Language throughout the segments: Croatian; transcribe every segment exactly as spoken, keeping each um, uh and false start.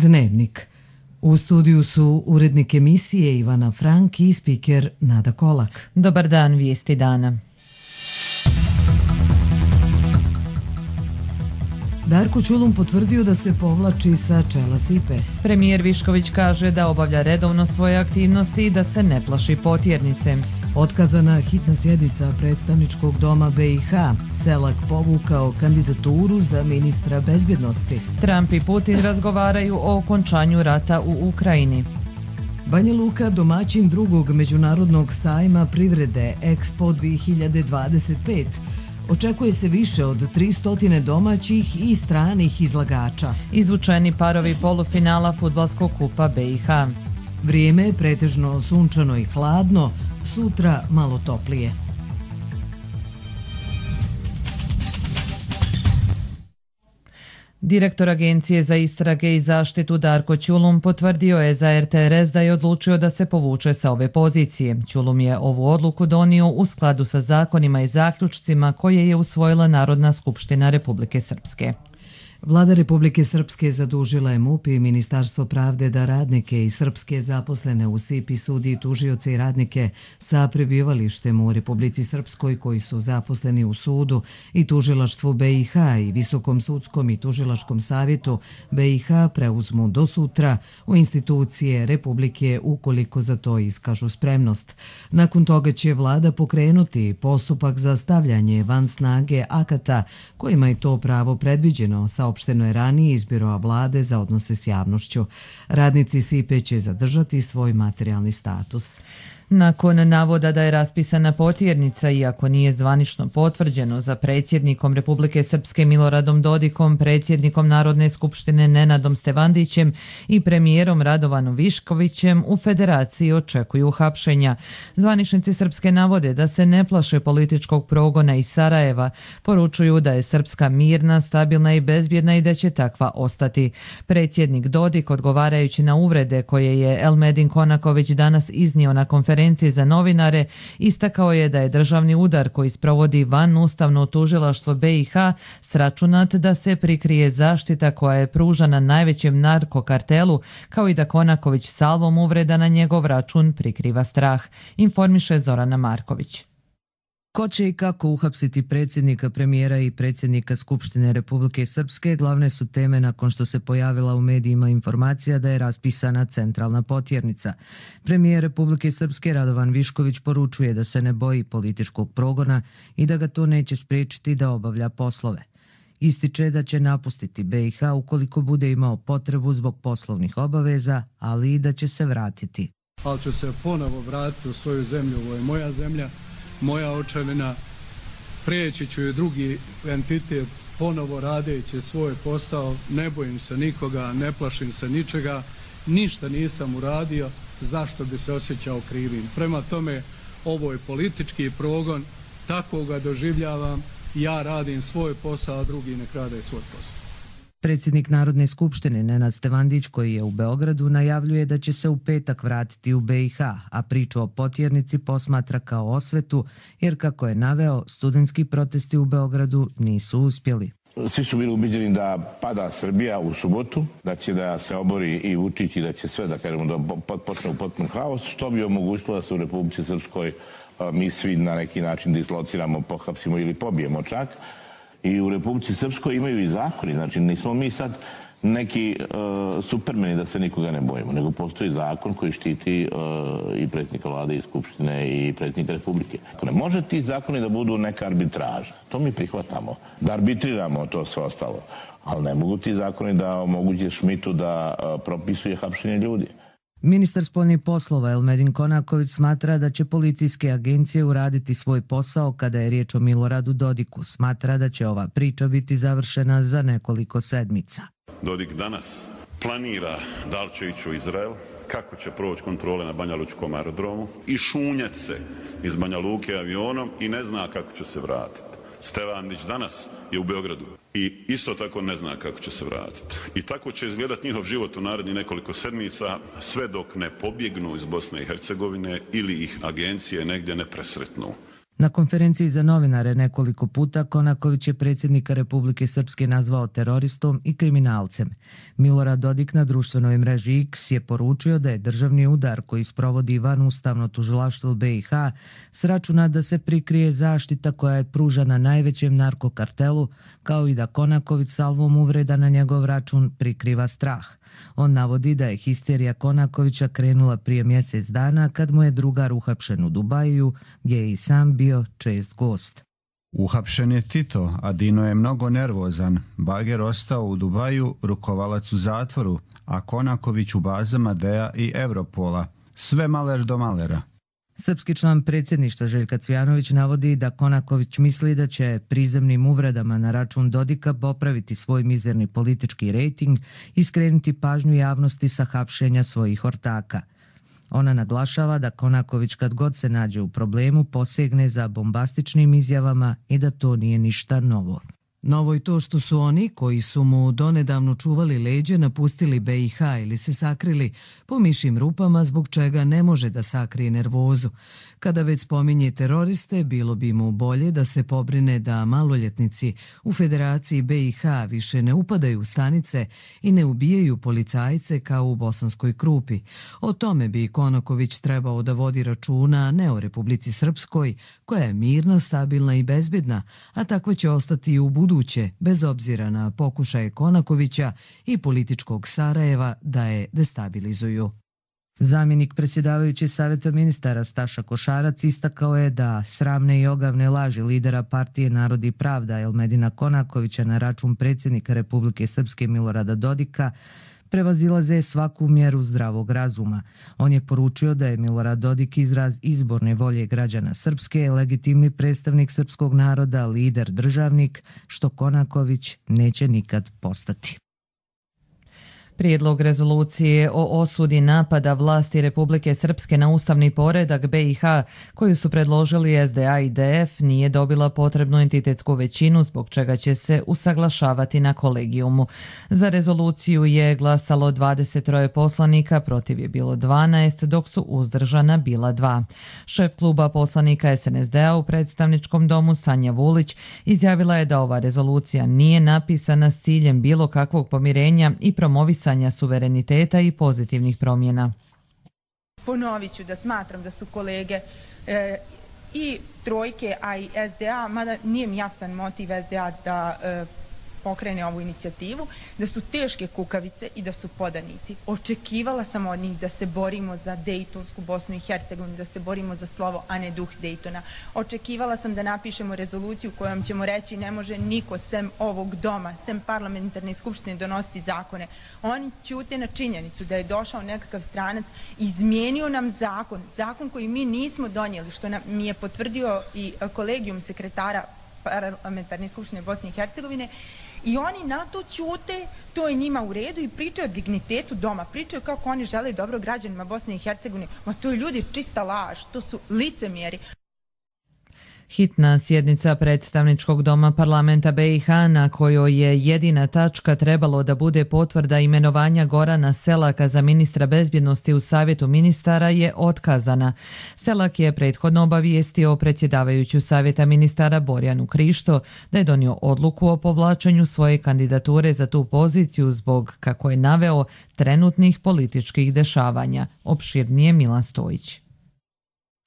Dnevnik. U studiju su urednik emisije Ivana Frank i spiker Nada Kolak. Dobar dan, vijesti dana. Darko Ćulum potvrdio da se povlači sa čela S I P E. Premijer Višković kaže da obavlja redovno svoje aktivnosti i da se ne plaši potjernice. Otkazana hitna sjednica predstavničkog doma B i H. Selak povukao kandidaturu za ministra bezbjednosti. Trump i Putin razgovaraju o okončanju rata u Ukrajini. Banja Luka domaćin drugog međunarodnog sajma privrede Expo dvije hiljade dvadeset pet. Očekuje se više od tristo domaćih i stranih izlagača. Izvučeni parovi polufinala fudbalskog kupa B i H. Vrijeme je pretežno sunčano i hladno, sutra malo toplije. Direktor Agencije za istrage i zaštitu Darko Ćulum potvrdio je za R T R S da je odlučio da se povuče sa ove pozicije. Ćulum je ovu odluku donio u skladu sa zakonima i zaključcima koje je usvojila Narodna skupština Republike Srpske. Vlada Republike Srpske zadužila je M U P i Ministarstvo pravde da radnike i srpske zaposlene u S I P I sudi tužioce i radnike sa prebivalištem u Republici Srpskoj koji su zaposleni u sudu i tužilaštvu B i H i Visokom sudskom i tužilačkom savjetu B i H preuzmu do sutra u institucije Republike ukoliko za to iskažu spremnost. Nakon toga će vlada pokrenuti postupak za stavljanje van snage akata kojima je to pravo predviđeno, sa Opšteno je ranije iz Biroa vlade za odnose s javnošću. Radnici S I P E će zadržati svoj materijalni status. Nakon navoda da je raspisana potjernica, iako nije zvanično potvrđeno, za predsjednikom Republike Srpske Miloradom Dodikom, predsjednikom Narodne skupštine Nenadom Stevandićem i premijerom Radovanom Viškovićem, u Federaciji očekuju hapšenja. Zvaničnici Srpske navode da se ne plaše političkog progona iz Sarajeva, poručuju da je Srpska mirna, stabilna i bezbjedna i da će takva ostati. Predsjednik Dodik, odgovarajući na uvrede koje je Elmedin Konaković danas iznio na konferenciji za novinare, istakao je da je državni udar koji sprovodi van ustavno tužilaštvo B i H sračunat da se prikrije zaštita koja je pružana najvećem narkokartelu, kao i da Konaković salvom uvreda na njegov račun prikriva strah, informiše Zorana Marković. Ko će i kako uhapsiti predsjednika, premijera i predsjednika Skupštine Republike Srpske glavne su teme nakon što se pojavila u medijima informacija da je raspisana centralna potjernica. Premijer Republike Srpske Radovan Višković poručuje da se ne boji političkog progona i da ga to neće spriječiti da obavlja poslove. Ističe da će napustiti B i H ukoliko bude imao potrebu zbog poslovnih obaveza, ali i da će se vratiti. Ali ću se ponovo vratiti u svoju zemlju, ovo je moja zemlja, moja očevina, prijeći ću je drugi entitet, ponovo radeći svoj posao, ne bojim se nikoga, ne plašim se ničega, ništa nisam uradio, zašto bi se osjećao krivim. Prema tome, ovo je politički progon, tako ga doživljavam, ja radim svoj posao, a drugi nek rade svoj posao. Predsjednik Narodne skupštine Nenad Stevandić, koji je u Beogradu, najavljuje da će se u petak vratiti u B i H, a priču o potjernici posmatra kao osvetu, jer kako je naveo, studentski protesti u Beogradu nisu uspjeli. Svi su bili ubeđeni da pada Srbija u subotu, da će da se obori i Vučić i da će sve, da kažemo, da počne u potpun haos, što bi omogućilo da se u Republici Srpskoj mi svi na neki način dislociramo, pohapsimo ili pobijemo čak. I u Republici Srpskoj imaju i zakoni, znači nismo mi sad neki uh, supermeni da se nikoga ne bojimo, nego postoji zakon koji štiti uh, i predsjednika vlade i skupštine i predsjednika Republike. Ne može ti zakoni da budu neka arbitraža, to mi prihvatamo, da arbitriramo to sve ostalo, ali ne mogu ti zakoni da omoguće Šmitu da uh, propisuje hapšenje ljudi. Ministar spoljnih poslova Elmedin Konaković smatra da će policijske agencije uraditi svoj posao kada je riječ o Miloradu Dodiku. Smatra da će ova priča biti završena za nekoliko sedmica. Dodik danas planira da li će ići u Izrael, kako će proći kontrole na Banja Lučkom aerodromu i šunjat se iz Banja Luke avionom i ne zna kako će se vratiti. Stevandić danas je u Beogradu i isto tako ne zna kako će se vratiti. I tako će izgledati njihov život u narednih nekoliko sedmica, sve dok ne pobjegnu iz Bosne i Hercegovine ili ih agencije negdje ne presretnu. Na konferenciji za novinare nekoliko puta Konaković je predsjednika Republike Srpske nazvao teroristom i kriminalcem. Milorad Dodik na društvenoj mreži X je poručio da je državni udar koji sprovodi van ustavno tužilaštvo B i H sračuna da se prikrije zaštita koja je pružana najvećem narkokartelu, kao i da Konaković salvom uvreda na njegov račun prikriva strah. On navodi da je histerija Konakovića krenula prije mjesec dana kad mu je drugar uhapšen u Dubaju, gdje je i sam bio čest gost. Uhapšen je Tito, a Dino je mnogo nervozan. Bager ostao u Dubaju, rukovalac u zatvoru, a Konaković u bazama D E A i Europola. Sve maler do malera. Srpski član predsjedništva Željka Cvijanović navodi da Konaković misli da će prizemnim uvredama na račun Dodika popraviti svoj mizerni politički rejting i skrenuti pažnju javnosti sa hapšenja svojih ortaka. Ona naglašava da Konaković kad god se nađe u problemu posegne za bombastičnim izjavama i da to nije ništa novo. Novo je to što su oni, koji su mu donedavno čuvali leđe, napustili B i H ili se sakrili po mišjim rupama, zbog čega ne može da sakrije nervozu. Kada već spominje teroriste, bilo bi mu bolje da se pobrine da maloljetnici u Federaciji B i H više ne upadaju u stanice i ne ubijaju policajce kao u Bosanskoj Krupi. O tome bi Konaković trebao da vodi računa, ne o Republici Srpskoj, koja je mirna, stabilna i bezbedna, a takva će ostati i u buduće, bez obzira na pokušaje Konakovića i političkog Sarajeva da je destabilizuju. Zamjenik predsjedavajući Saveta ministara Staša Košarac istakao je da sramne i ogavne laži lidera partije Narod i pravda Elmedina Konakovića na račun predsjednika Republike Srpske Milorada Dodika prevazilaze svaku mjeru zdravog razuma. On je poručio da je Milorad Dodik izraz izborne volje građana Srpske, legitimni predstavnik srpskog naroda, lider, državnik, što Konaković neće nikad postati. Prijedlog rezolucije o osudi napada vlasti Republike Srpske na ustavni poredak B i H, koju su predložili S D A i D F, nije dobila potrebnu entitetsku većinu, zbog čega će se usaglašavati na kolegijumu. Za rezoluciju je glasalo dvadeset troje poslanika, protiv je bilo dvanaest, dok su uzdržana bila dva. Šef kluba poslanika S N S D A u predstavničkom domu Sanja Vulić izjavila je da ova rezolucija nije napisana s ciljem bilo kakvog pomirenja i promovisanja suvereniteta i pozitivnih promjena. Ponovit ću da smatram da su kolege e, i trojke, a i S D A, mada nije mi jasan motiv S D A da e, pokrene ovu inicijativu, da su teške kukavice i da su podanici. Očekivala sam od njih da se borimo za Dejtonsku Bosnu i Hercegovinu, da se borimo za slovo, a ne duh Dejtona. Očekivala sam da napišemo rezoluciju kojom ćemo reći ne može niko sem ovog doma, sem parlamentarne skupštine donositi zakone. Oni ćute na činjenicu da je došao nekakav stranac, izmijenio nam zakon, zakon koji mi nismo donijeli, što nam mi je potvrdio i kolegijum sekretara parlamentarne skupštine Bosne i Hercegovine, i oni na to ćute, to je njima u redu i pričaju o dignitetu doma, pričaju kako oni žele dobro građanima Bosne i Hercegovine. Ma to je ljudi čista laž, to su licemjeri. Hitna sjednica predstavničkog doma parlamenta B i H, na kojoj je jedina tačka trebalo da bude potvrda imenovanja Gorana Selaka za ministra bezbjednosti u Savjetu ministara, je otkazana. Selak je prethodno obavijestio predsjedavajuću Savjeta ministara Borjanu Krišto da je donio odluku o povlačenju svoje kandidature za tu poziciju zbog, kako je naveo, trenutnih političkih dešavanja. Opširnije Milan Stojić.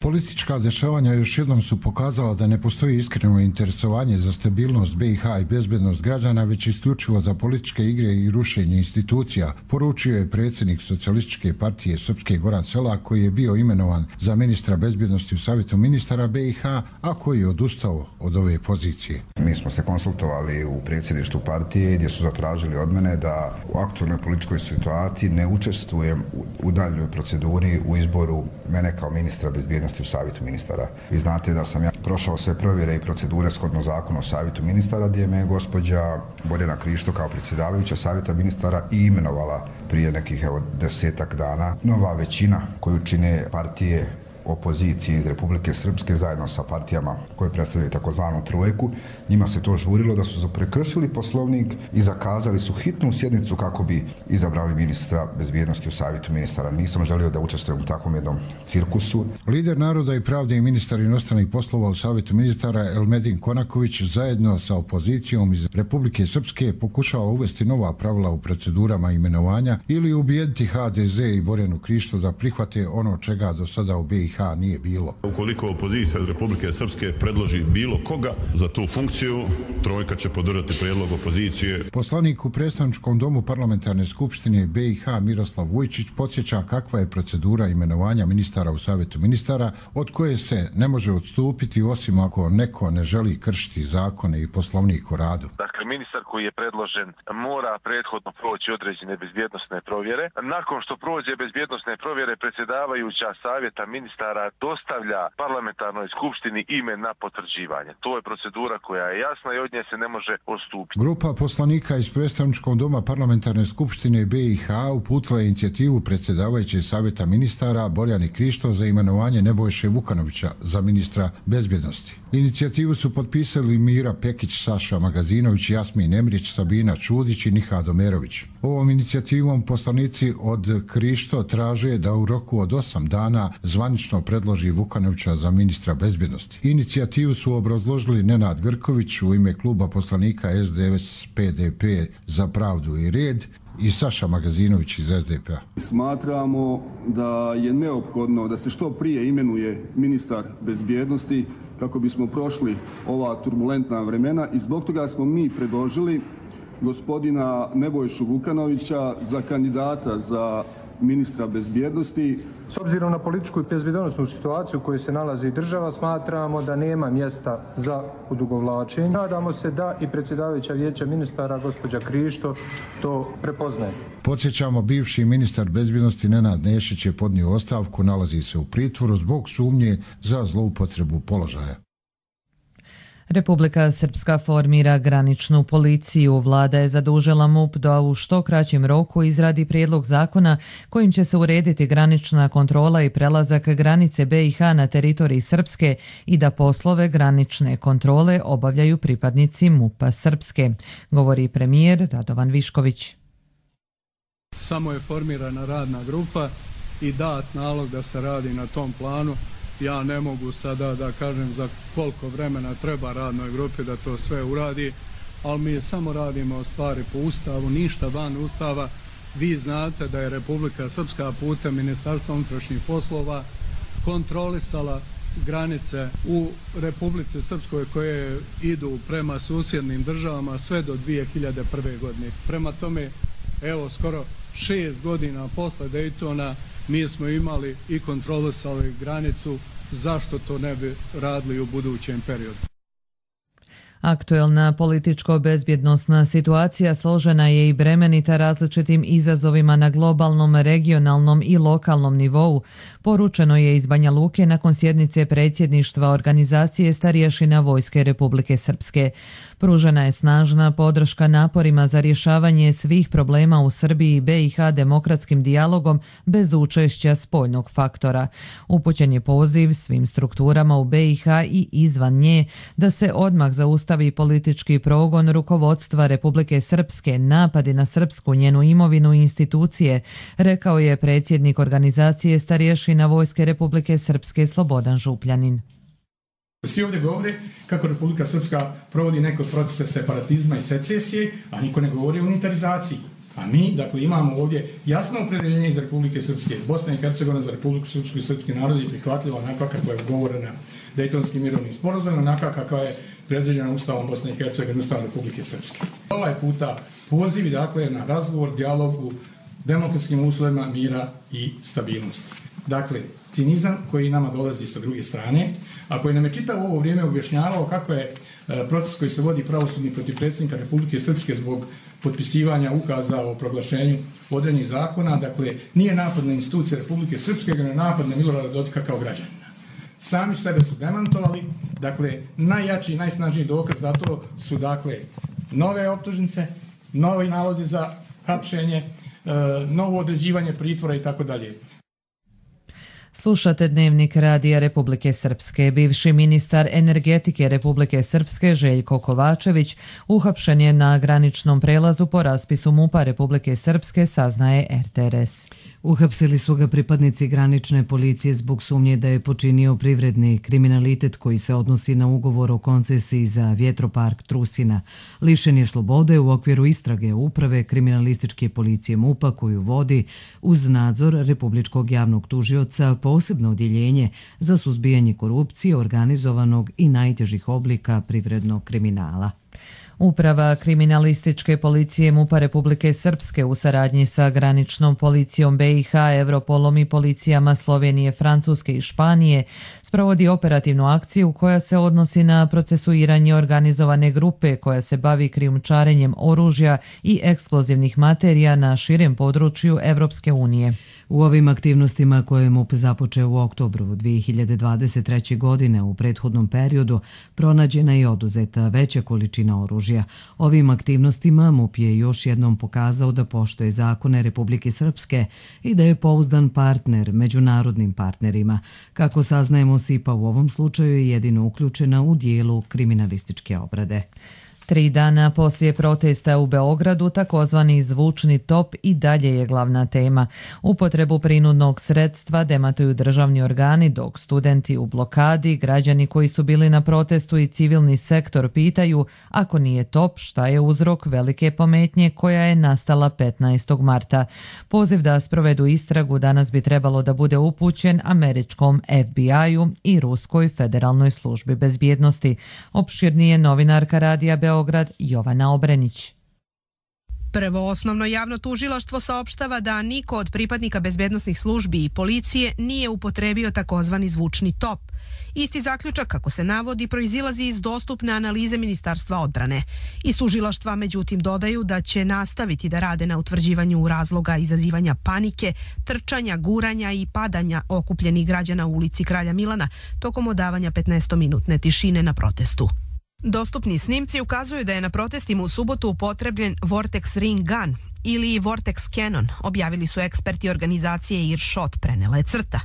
Politička dešavanja još jednom su pokazala da ne postoji iskreno interesovanje za stabilnost B i H i bezbednost građana, već isključivo za političke igre i rušenje institucija, poručio je predsjednik Socijalističke partije Srpske Goran Selak, koji je bio imenovan za ministra bezbednosti u Savjetu ministara B i H, a koji je odustao od ove pozicije. Mi smo se konsultovali u predsjedništvu partije gdje su zatražili od mene da u aktualnoj političkoj situaciji ne učestvujem u daljnjoj proceduri u izboru mene kao ministra bezbednosti u Savjetu ministara. Vi znate da sam ja prošao sve provjere i procedure shodno zakonu o Savjetu ministara, gdje me je gospođa Borjana Krišto kao predsjedavajuća Savjeta ministara i imenovala prije nekih evo desetak dana. Nova većina koju čine partije opozicije iz Republike Srpske zajedno sa partijama koje predstavljaju takozvanu trojku. Njima se to žurilo da su prekršili poslovnik i zakazali su hitnu sjednicu kako bi izabrali ministra bezbjednosti u savjetu ministara. Nisam želio da učestvujem u takvom jednom cirkusu. Lider Naroda i pravde i ministar inostranih poslova u savjetu ministara Elmedin Konaković zajedno sa opozicijom iz Republike Srpske pokušava uvesti nova pravila u procedurama imenovanja ili ubijediti ha de ze i Borjanu Krišto da prihvate ono čega do sada u be i ha nije bilo. Ukoliko opozicija iz Republike Srpske predloži bilo koga za tu funkciju, trojka će podržati prijedlog opozicije. Poslanik u predstavničkom domu parlamentarne skupštine be i ha Miroslav Vujčić podsjeća kakva je procedura imenovanja ministara u savjetu ministara, od koje se ne može odstupiti osim ako neko ne želi kršiti zakone i poslovnik o radu. Dakle, ministar koji je predložen mora prethodno proći određene bezbjednosne provjere. Nakon što prođe bezbjednosne provjere, predsjedavajuća savjeta ministara dostavlja parlamentarnoj skupštini ime na potvrđivanje. To je procedura koja je jasna i od nje se ne može odstupiti. Grupa poslanika iz predstavničkog doma parlamentarne skupštine be i ha uputila je inicijativu predsjedavajuće savjeta ministara Borjane Krišto za imenovanje Nebojše Vukanovića za ministra bezbjednosti. Inicijativu su potpisali Mira Pekić, Saša Magazinović, Jasmin Emrić, Sabina Čudić i Nihad Omerović. Ovom inicijativom poslanici od Krišto traže da u roku od osam dana zvanično predloži Vukanovića za ministra bezbjednosti. Inicijativu su obrazložili Nenad Grković u ime kluba poslanika es de es pe de pe za pravdu i red i Saša Magazinović iz es de pe a. Smatramo da je neophodno da se što prije imenuje ministar bezbjednosti kako bismo prošli ova turbulentna vremena i zbog toga smo mi predložili gospodina Nebojšu Vukanovića za kandidata za ministra bezbjednosti. S obzirom na političku i bezbjednosnu situaciju u kojoj se nalazi država, smatramo da nema mjesta za odugovlačenje. Nadamo se da i predsjedavajuća vijeća ministara, gospođa Krišto, to prepoznaje. Podsjećamo, bivši ministar bezbjednosti Nenad Nešić je podnio ostavku, nalazi se u pritvoru zbog sumnje za zloupotrebu položaja. Republika Srpska formira graničnu policiju. Vlada je zadužila MUP da u što kraćem roku izradi prijedlog zakona kojim će se urediti granična kontrola i prelazak granice be i ha na teritoriji Srpske i da poslove granične kontrole obavljaju pripadnici MUP-a Srpske, govori premijer Radovan Višković. Samo je formirana radna grupa i dat nalog da se radi na tom planu. Ja ne mogu sada da kažem za koliko vremena treba radnoj grupi da to sve uradi, ali mi samo radimo stvari po Ustavu, ništa van Ustava. Vi znate da je Republika Srpska putem Ministarstva unutrašnjih poslova kontrolisala granice u Republici Srpskoj koje idu prema susjednim državama sve do dvije hiljade prve. godine. Prema tome, evo skoro šest godina posle Dejtona mi smo imali i kontrolisali granicu, zašto to ne bi radili u budućem periodu? Aktuelna političko-bezbjednosna situacija složena je i bremenita različitim izazovima na globalnom, regionalnom i lokalnom nivou, poručeno je iz Banja Luke nakon sjednice predsjedništva organizacije Starješina Vojske Republike Srpske. Pružena je snažna podrška naporima za rješavanje svih problema u Srbiji i be i ha demokratskim dijalogom bez učešća spoljnog faktora. Upućen je poziv svim strukturama u be i ha i izvan nje da se odmah zaustavi politički progon rukovodstva Republike Srpske, napadi na srpsku, njenu imovinu i institucije, rekao je predsjednik organizacije Starješina Vojske Republike Srpske Slobodan Župljanin. Svi ovdje govore kako Republika Srpska provodi neke procese separatizma i secesije, a niko ne govori o unitarizaciji. A mi, dakle, imamo ovdje jasno opredeljenje iz Republike Srpske. Bosna i Hercegovina za Republiku Srpsku i srpski narod je prihvatljiva onakva kakva je ugovorena Dejtonskim mirovnim sporazumom, onakva kakva je predviđena Ustavom Bosne i Hercegovine, Ustavom Republike Srpske. Ovaj puta pozivi, dakle, na razgovor, dijalog u demokratskim uslovima mira i stabilnosti. Dakle, cinizam koji nama dolazi sa druge strane, a koji nam je čitavo ovo vrijeme objašnjavao kako je proces koji se vodi pravosudni protiv predsjednika Republike Srpske zbog potpisivanja ukaza o proglašenju određenih zakona, dakle, nije napad na institucije Republike Srpske, nego je napad na Milorada Dodika kao građanina. Sami sebe su demantovali, dakle, najjači i najsnažniji dokaz za to su, dakle, nove optužnice, novi nalozi za hapšenje, novo određivanje pritvora i tako dalje. Slušate Dnevnik Radija Republike Srpske. Bivši ministar energetike Republike Srpske Željko Kovačević uhapšen je na graničnom prelazu po raspisu MUP-a Republike Srpske, saznaje R T R S. Uhapsili su ga pripadnici granične policije zbog sumnje da je počinio privredni kriminalitet koji se odnosi na ugovor o koncesiji za vjetropark Trusina. Lišen je slobode u okviru istrage uprave kriminalističke policije MUP-a koju vodi uz nadzor Republičkog javnog tužioca posebno odjeljenje za suzbijanje korupcije, organizovanog i najtežih oblika privrednog kriminala. Uprava kriminalističke policije MUP-a Republike Srpske u saradnji sa graničnom policijom B i H, Europolom i policijama Slovenije, Francuske i Španije sprovodi operativnu akciju koja se odnosi na procesuiranje organizovane grupe koja se bavi krijumčarenjem oružja i eksplozivnih materija na širem području Evropske unije. U ovim aktivnostima koje je MUP započeo u oktobru dvije hiljade dvadeset treće. godine u prethodnom periodu pronađena i oduzeta veća količina oružja. Ovim aktivnostima MUP je još jednom pokazao da poštuje zakone Republike Srpske i da je pouzdan partner međunarodnim partnerima. Kako saznajemo, S I P A u ovom slučaju je jedino uključena u dijelu kriminalističke obrade. Tri dana poslije protesta u Beogradu, takozvani zvučni top i dalje je glavna tema. Upotrebu prinudnog sredstva dematuju državni organi, dok studenti u blokadi, građani koji su bili na protestu i civilni sektor pitaju, ako nije top, šta je uzrok velike pometnje koja je nastala petnaestog marta. Poziv da sprovedu istragu danas bi trebalo da bude upućen američkom F B I-u i Ruskoj federalnoj službi bezbjednosti. Opširnije novinarka Radija Beograd Beograd Jovana Obrenić. Prvo osnovno javno tužilaštvo saopštava da niko od pripadnika bezbednosnih službi i policije nije upotrebio takozvani zvučni top. Isti zaključak, kako se navodi, proizilazi iz dostupne analize Ministarstva odbrane. Iz tužilaštva, međutim, dodaju da će nastaviti da rade na utvrđivanju razloga izazivanja panike, trčanja, guranja i padanja okupljenih građana u ulici Kralja Milana tokom odavanja petnaestominutne tišine na protestu. Dostupni snimci ukazuju da je na protestima u subotu upotrebljen Vortex Ring Gun ili Vortex Cannon, objavili su eksperti organizacije Earshot, prenela je Crta.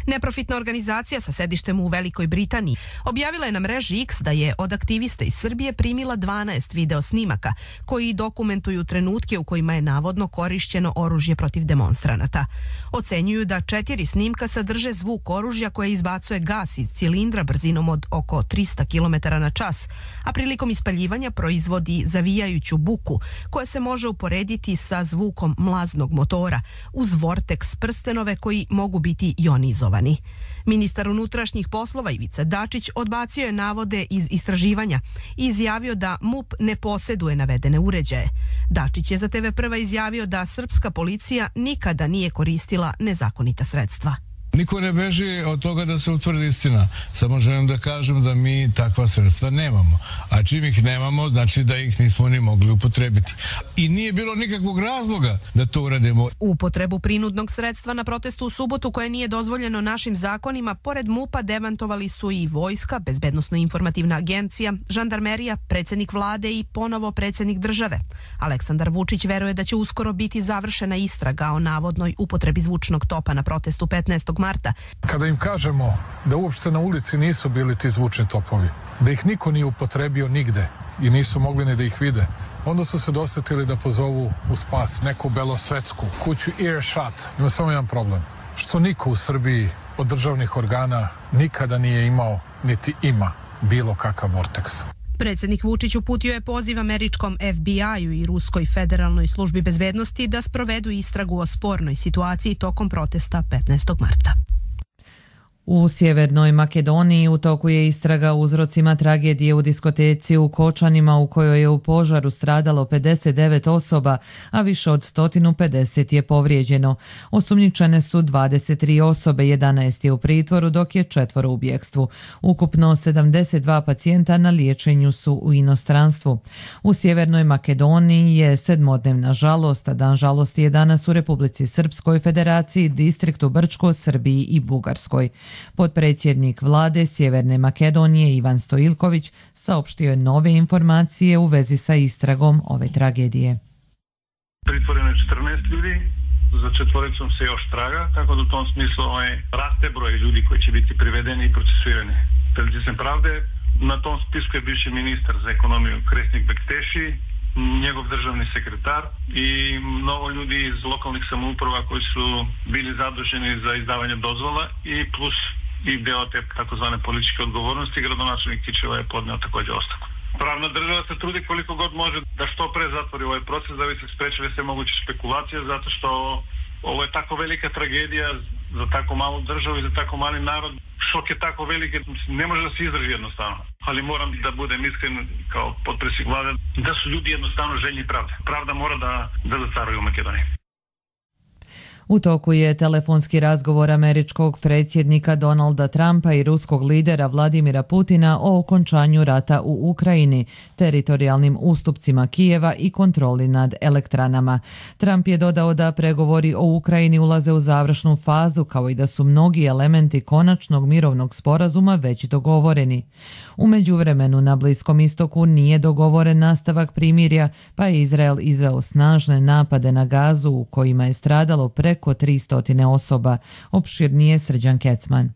Neprofitna organizacija sa sedištem u Velikoj Britaniji objavila je na mreži X da je od aktivista iz Srbije primila dvanaest video snimaka koji dokumentuju trenutke u kojima je navodno korišćeno oružje protiv demonstranata. Ocenjuju da četiri snimka sadrže zvuk oružja koje izbacuje gas iz cilindra brzinom od oko trista kilometara na čas, a prilikom ispaljivanja proizvodi zavijajuću buku koja se može uporediti sa zvukom mlaznog motora uz vorteks prstenove koji mogu biti ionizovani. Ministar unutrašnjih poslova Ivica Dačić odbacio je navode iz istraživanja i izjavio da MUP ne posjeduje navedene uređaje. Dačić je za T V Prva izjavio da srpska policija nikada nije koristila nezakonita sredstva. Niko ne beži od toga da se utvrdi istina. Samo želim da kažem da mi takva sredstva nemamo. A čim ih nemamo, znači da ih nismo ni mogli upotrebiti. I nije bilo nikakvog razloga da to uradimo. Upotrebu prinudnog sredstva na protestu u subotu koje nije dozvoljeno našim zakonima, pored MUP-a demantovali su i vojska, bezbednosno-informativna agencija, žandarmerija, predsjednik vlade i ponovo predsjednik države. Aleksandar Vučić veruje da će uskoro biti završena istraga o navodnoj upotrebi zvučnog topa na protestu petnaestog marta. Kada im kažemo da uopšte na ulici nisu bili ti zvučni topovi, da ih niko nije upotrebio nigde i nisu mogli ni da ih vide, onda su se dosetili da pozovu u spas neku belosvetsku kuću Earshot. Ima samo jedan problem, što niko u Srbiji od državnih organa nikada nije imao niti ima bilo kakav vorteks. Predsjednik Vučić uputio je poziv američkom F B I-u i Ruskoj federalnoj službi bezbednosti da sprovedu istragu o spornoj situaciji tokom protesta petnaestog marta. U Sjevernoj Makedoniji u toku je istraga o uzrocima tragedije u diskoteci u Kočanima u kojoj je u požaru stradalo pedeset devet osoba, a više od sto pedeset je povrijeđeno. Osumnjičene su dvadeset tri osobe, jedanaest je u pritvoru, dok je četvoro u bjekstvu. Ukupno sedamdeset dva pacijenta na liječenju su u inostranstvu. U Sjevernoj Makedoniji je sedmodnevna žalost, a dan žalosti je danas u Republici Srpskoj, Federaciji, Distriktu Brčko, Srbiji i Bugarskoj. Potpredsjednik vlade Sjeverne Makedonije Ivan Stoilković saopštio je nove informacije u vezi sa istragom ove tragedije. Pritvoreno je četrnaest ljudi, za četvoricom se još traga, tako da u tom smislu ovaj, raste broj ljudi koji će biti privedeni i procesuirani. Pred licem pravde na tom spisku je bivši ministar za ekonomiju Kresnik Bekteši, njegov državni sekretar i mnogo ljudi iz lokalnih samouprava koji su bili zaduženi za izdavanje dozvola i plus i deo te takozvane političke odgovornosti. Gradonačelnik Kičeva je podneo također ostavku. Pravna država se trudi koliko god može da što pre zatvori ovaj proces da bi se sprečili sve moguće spekulacije, zato što ovo je tako velika tragedija za tako malu državu i za tako mali narod. Šok je tako veliki, ne može da se izdrži jednostavno. Ali moram da budem iskren kao potpredsjednik vlade da su ljudi jednostavno željni pravde. Pravda mora da, da zacaruje u Makedoniji. U toku je telefonski razgovor američkog predsjednika Donalda Trumpa i ruskog lidera Vladimira Putina o okončanju rata u Ukrajini, teritorijalnim ustupcima Kijeva i kontroli nad elektranama. Trump je dodao da pregovori o Ukrajini ulaze u završnu fazu, kao i da su mnogi elementi konačnog mirovnog sporazuma već dogovoreni. U međuvremenu na Bliskom istoku nije dogovoren nastavak primirja, pa je Izrael izveo snažne napade na Gazu u kojima je stradalo preko tristo osoba. Opširnije Srđan Kecman.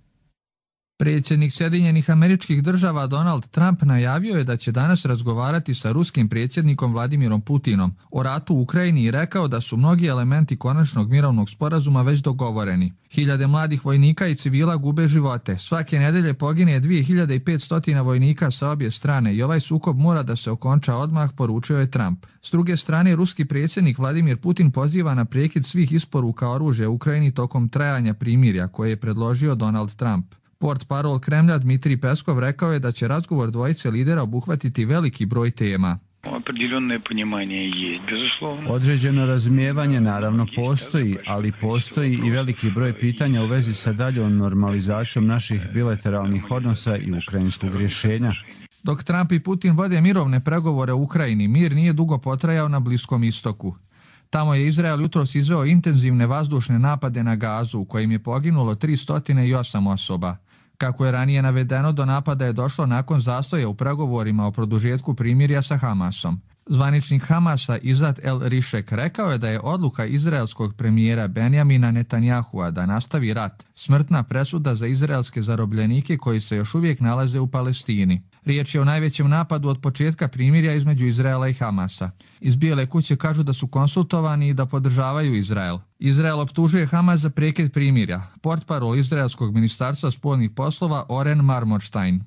Predsjednik Sjedinjenih Američkih Država Donald Trump najavio je da će danas razgovarati sa ruskim predsjednikom Vladimirom Putinom o ratu u Ukrajini i rekao da su mnogi elementi konačnog mirovnog sporazuma već dogovoreni. Hiljade mladih vojnika i civila gube živote. Svake nedelje pogine dvije hiljade petsto vojnika sa obje strane i ovaj sukob mora da se okonča odmah, poručio je Trump. S druge strane, ruski predsjednik Vladimir Putin poziva na prekid svih isporuka oružja Ukrajini tokom trajanja primirja koje je predložio Donald Trump. Portparol Kremlja Dmitrij Peskov rekao je da će razgovor dvojice lidera obuhvatiti veliki broj tema. Određeno razumijevanje naravno postoji, ali postoji i veliki broj pitanja u vezi sa daljom normalizacijom naših bilateralnih odnosa i ukrajinskog rješenja. Dok Trump i Putin vode mirovne pregovore u Ukrajini, mir nije dugo potrajao na Bliskom istoku. Tamo je Izrael jutros izveo intenzivne vazdušne napade na Gazu, u kojim je poginulo tristo osam osoba. Kako je ranije navedeno, do napada je došlo nakon zastoja u pregovorima o produžetku primirja sa Hamasom. Zvaničnik Hamasa Izat El Rišek rekao je da je odluka izraelskog premijera Benjamina Netanjahua da nastavi rat smrtna presuda za izraelske zarobljenike koji se još uvijek nalaze u Palestini. Riječ je o najvećem napadu od početka primirja između Izraela i Hamasa. Iz Bijele kuće kažu da su konsultovani i da podržavaju Izrael. Izrael optužuje Hamas za prekid primirja. Portparol izraelskog ministarstva spoljnih poslova Oren Marmorstein.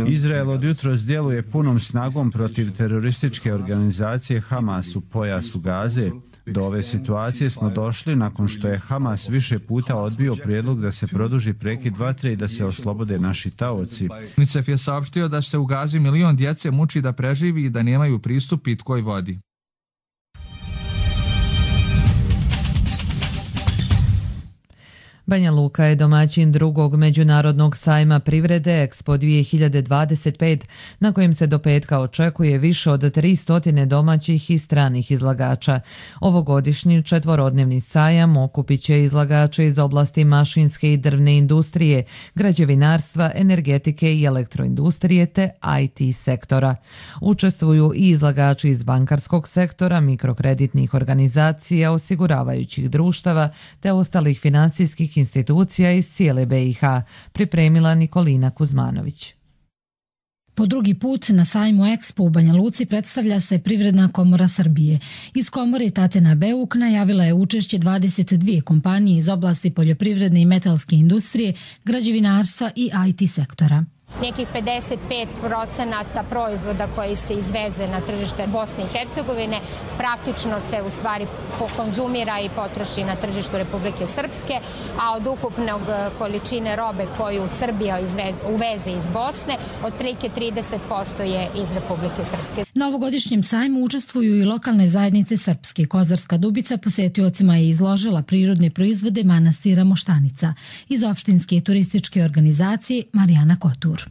Izrael od jutros djeluje punom snagom protiv terorističke organizacije Hamas u pojasu Gaze. Do ove situacije smo došli nakon što je Hamas više puta odbio prijedlog da se produži prekid vatre i da se oslobode naši taoci. UNICEF je saopštio da se u Gazi milion djece muči da preživi i da nemaju pristup pitkoj vodi. Banja Luka je domaćin drugog međunarodnog sajma privrede Expo dvije hiljade dvadeset pet, na kojem se do petka očekuje više od tristo domaćih i stranih izlagača. Ovogodišnji četvorodnevni sajam okupit će izlagače iz oblasti mašinske i drvne industrije, građevinarstva, energetike i elektroindustrije te I T sektora. Učestvuju i izlagači iz bankarskog sektora, mikrokreditnih organizacija, osiguravajućih društava te ostalih finansijskih institucija iz cijele B i H, pripremila Nikolina Kuzmanović. Po drugi put na sajmu Expo u Banja Luci predstavlja se Privredna komora Srbije. Iz komore Tatjana Beuk najavila je učešće dvadeset dvije kompanije iz oblasti poljoprivredne i metalske industrije, građevinarstva i I T sektora. Nekih pedeset pet procenata proizvoda koji se izveze na tržište Bosne i Hercegovine praktično se u stvari pokonzumira i potroši na tržištu Republike Srpske, a od ukupnog količine robe koju Srbija izveze, uveze iz Bosne, otprilike trideset posto je iz Republike Srpske. Na ovogodišnjem sajmu učestvuju i lokalne zajednice Srpske. Kozarska Dubica posetiocima je izložila prirodne proizvode manastira Moštanica. Iz opštinske turističke organizacije Marijana Kotur.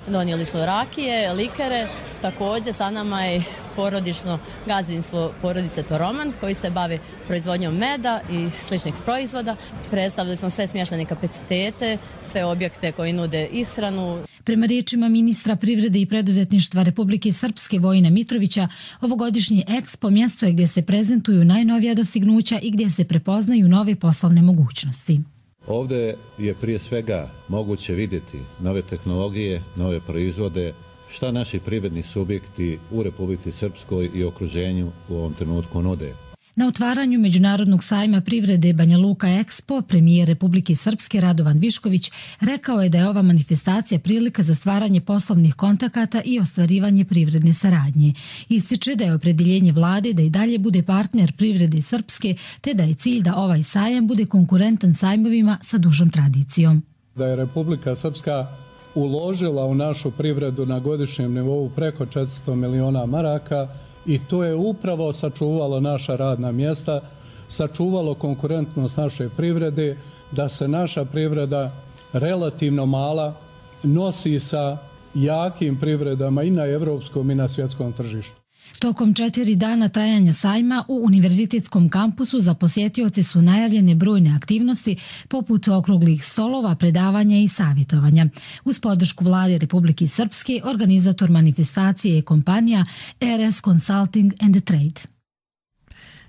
Donijeli smo rakije, likere, također sa nama je porodično gazdinstvo porodice Toroman koji se bavi proizvodnjom meda i sličnih proizvoda. Predstavili smo sve smještene kapacitete, sve objekte koji nude ishranu. Prema riječima ministra privrede i preduzetništva Republike Srpske Vojina Mitrovića, ovogodišnji Expo mjesto je gdje se prezentuju najnovija dostignuća i gdje se prepoznaju nove poslovne mogućnosti. Ovdje je prije svega moguće vidjeti nove tehnologije, nove proizvode, šta naši privredni subjekti u Republici Srpskoj i okruženju u ovom trenutku nude. Na otvaranju Međunarodnog sajma privrede Banja Luka Expo, premijer Republike Srpske Radovan Višković rekao je da je ova manifestacija prilika za stvaranje poslovnih kontakata i ostvarivanje privredne saradnje. Ističe da je opredjeljenje vlade da i dalje bude partner privrede Srpske, te da je cilj da ovaj sajam bude konkurentan sajmovima sa dužom tradicijom. Da je Republika Srpska uložila u našu privredu na godišnjem nivou preko četiristo miliona maraka i to je upravo sačuvalo naša radna mjesta, sačuvalo konkurentnost naše privrede, da se naša privreda relativno mala nosi sa jakim privredama i na evropskom i na svjetskom tržištu. Tokom četiri dana trajanja sajma u univerzitetskom kampusu za posjetioce su najavljene brojne aktivnosti poput okruglih stolova, predavanja i savjetovanja. Uz podršku vlade Republike Srpske, organizator manifestacije je kompanija R S Consulting and Trade.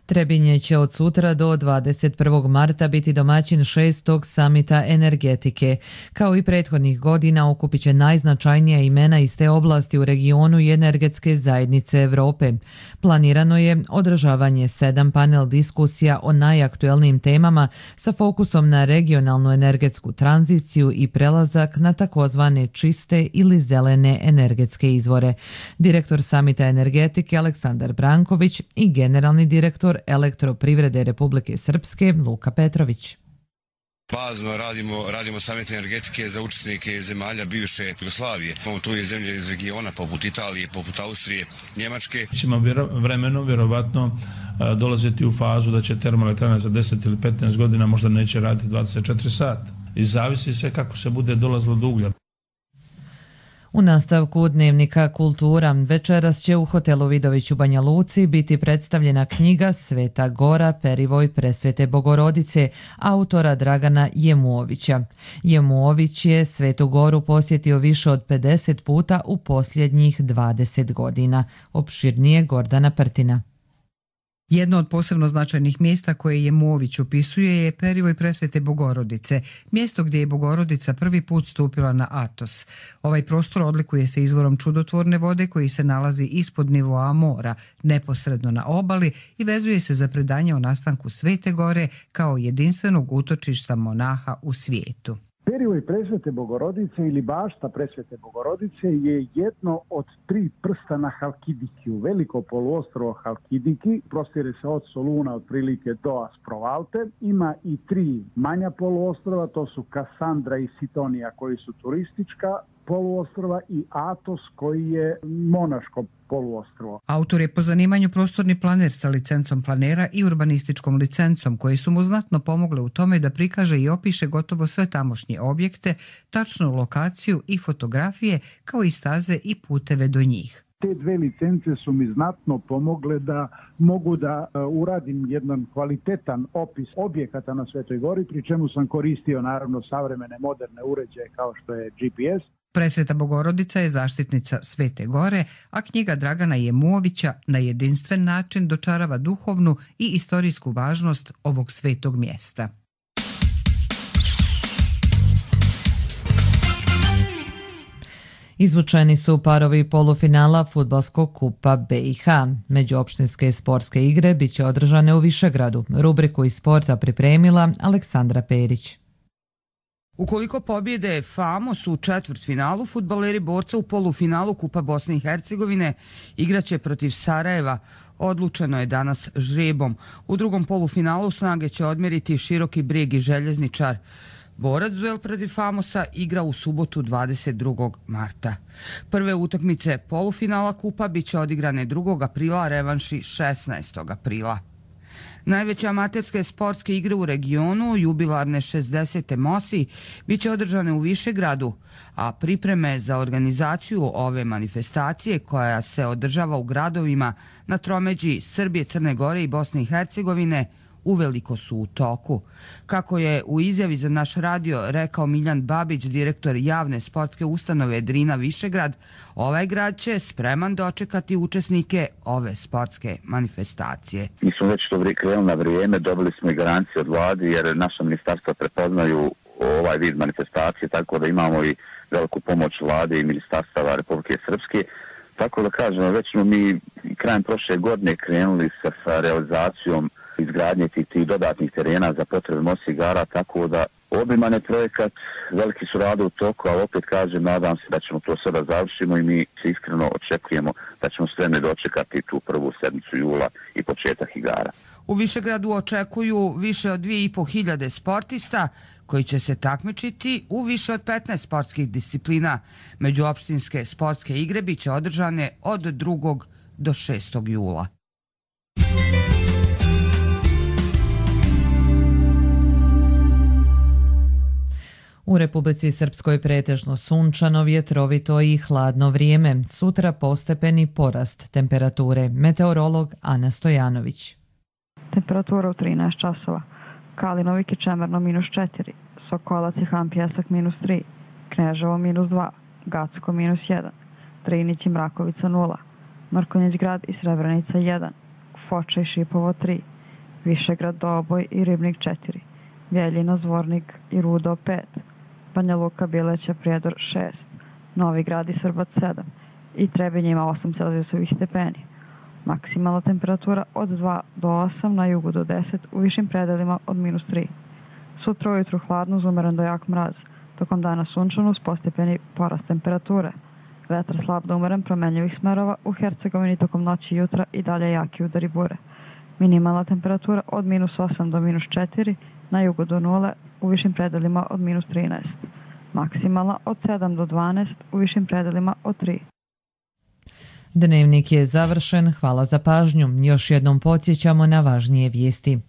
Trebinje će od sutra do dvadeset prvog marta biti domaćin šestog samita energetike. Kao i prethodnih godina okupit će najznačajnija imena iz te oblasti u regionu i energetske zajednice Europe. Planirano je održavanje sedam panel diskusija o najaktuelnijim temama sa fokusom na regionalnu energetsku tranziciju i prelazak na takozvane čiste ili zelene energetske izvore. Direktor samita energetike Aleksandar Branković i generalni direktor Elektroprivrede Republike Srpske Luka Petrović. Bazno radimo, radimo samit energetike za učesnike zemalja bivše Jugoslavije. Imamo tu i zemlje iz regiona poput Italije, poput Austrije, Njemačke. Ćemo vremeno vjerovatno dolaziti u fazu da će termoelektrana za deset ili petnaest godina možda neće raditi dvadeset četiri sata. I zavisi se kako se bude dolazilo do uglja. U nastavku dnevnika Kultura večeras će u hotelu Vidović u Banja Luci biti predstavljena knjiga Sveta Gora, Perivoj Presvete Bogorodice, autora Dragana Jemuovića. Jemuović je Svetu Goru posjetio više od pedeset puta u posljednjih dvadeset godina. Opširnije Gordana Prtina. Jedno od posebno značajnih mjesta koje Jemuović opisuje je Perivoj Presvete Bogorodice, mjesto gdje je Bogorodica prvi put stupila na Atos. Ovaj prostor odlikuje se izvorom čudotvorne vode koji se nalazi ispod nivoa mora, neposredno na obali i vezuje se za predanje o nastanku Svete Gore kao jedinstvenog utočišta monaha u svijetu. Perivoj Presvete Bogorodice ili bašta Presvete Bogorodice je jedno od tri prsta na Halkidiki. Veliko poluostrvo Halkidiki prostire se od Soluna otprilike do Asprovalte. Ima i tri manja poluostrva, to su Kasandra i Sitonija koji su turistička poluostrva i Atos koji je monaško poluostrvo. Autor je po zanimanju prostorni planer sa licencom planera i urbanističkom licencom koji su mu znatno pomogle u tome da prikaže i opiše gotovo sve tamošnje objekte, tačnu lokaciju i fotografije kao i staze i puteve do njih. Te dve licence su mi znatno pomogle da mogu da uradim jedan kvalitetan opis objekata na Svetoj Gori, pri čemu sam koristio naravno savremene moderne uređaje kao što je G P S. Presveta Bogorodica je zaštitnica Svete Gore, a knjiga Dragana Jemuovića na jedinstven način dočarava duhovnu i istorijsku važnost ovog svetog mjesta. Izvučeni su parovi polufinala Fudbalskog kupa B i H. Međuopštinske sportske igre bit će održane u Višegradu. Rubriku iz sporta pripremila Aleksandra Perić. Ukoliko pobjede Famos u četvrtfinalu, fudbaleri borca u polufinalu Kupa Bosne i Hercegovine igraće protiv Sarajeva. Odlučeno je danas žrebom. U drugom polufinalu snage će odmjeriti Široki Brijeg i Željezničar. Borac duel protiv Famosa igra u subotu dvadeset drugog marta. Prve utakmice polufinala Kupa bit će odigrane drugog aprila, a revanši šesnaestog aprila. Najveće amaterske sportske igre u regionu, jubilarne šezdesete Mosi, bit će održane u Višegradu, a pripreme za organizaciju ove manifestacije koja se održava u gradovima na tromeđi Srbije, Crne Gore i Bosne i Hercegovine uveliko su u toku. Kako je u izjavi za naš radio rekao Miljan Babić, direktor javne sportske ustanove Drina Višegrad, ovaj grad će spreman dočekati učesnike ove sportske manifestacije. Mi smo već to krenuli na vrijeme, dobili smo i garancije od vlade jer naša ministarstva prepoznaju ovaj vid manifestacije, tako da imamo i veliku pomoć vlade i ministarstava Republike Srpske. Tako da kažemo, već smo mi krajem prošle godine krenuli sa, sa realizacijom izgradnje tih, tih dodatnih terena za potrebe Mosta igara, tako da obiman je projekat, veliki su rade u toku, ali opet kažem, nadam se da ćemo to sada završimo i mi se iskreno očekujemo da ćemo spremni dočekati tu prvu sedmicu jula i početak igara. U Višegradu očekuju više od dvije i po hiljade sportista koji će se takmičiti u više od petnaest sportskih disciplina. Međuopštinske sportske igre biće održane od drugog do šestog jula. U Republici Srpskoj pretežno sunčano, vjetrovito i hladno vrijeme. Sutra postepeni porast temperature. Meteorolog Ana Stojanović. Temperatura u trinaest časova. Kalinovik i Čemerno minus četiri, Sokolac i Han Pjesak minus tri, Kneževo minus dva, Gacko minus jedan, Drinić i Mrakovica nula, Mrkonjić grad i Srebrenica jedan, Foča i Šipovo tri, Višegrad, Doboj i Ribnik četiri, Bjeljina, Zvornik i Rudo pet, Banja Luka, Bileća, Prijedor šest, Novi Grad i Srbac sedam i Trebinje ima osam celzijusovih stepeni. Maksimalna temperatura od dva do osam, na jugu do deset, u višim predelima od minus tri. Sutra ujutru hladno uz umeren do jak mraz, tokom dana sunčano uz postepeni porast temperature. Vetar slab do umeren promenljivih smerova, u Hercegovini tokom noći i jutra i dalje jaki udari bure. Minimalna temperatura od minus osam do minus četiri, na jugu do nule, u višim predelima od minus trinaest. Maksimalna od sedam do dvanaest, u višim predelima od tri. Dnevnik je završen, hvala za pažnju. Još jednom podsjećamo na važnije vijesti.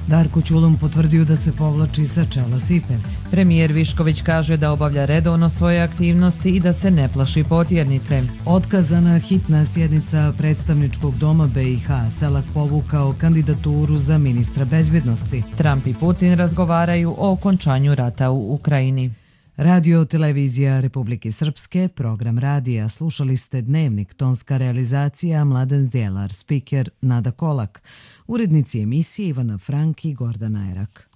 Darko Ćulum potvrdio da se povlači sa čela S I P E. Premijer Višković kaže da obavlja redovno svoje aktivnosti i da se ne plaši potjernice. Otkazana hitna sjednica predstavničkog doma B i H. Selak povukao kandidaturu za ministra bezbjednosti. Trump i Putin razgovaraju o okončanju rata u Ukrajini. Radio Televizija Republike Srpske, program radija. Slušali ste Dnevnik, tonska realizacija Mladen Zdjelar, spiker Nada Kolak, urednici emisije Ivana Frank i Gordana Erak.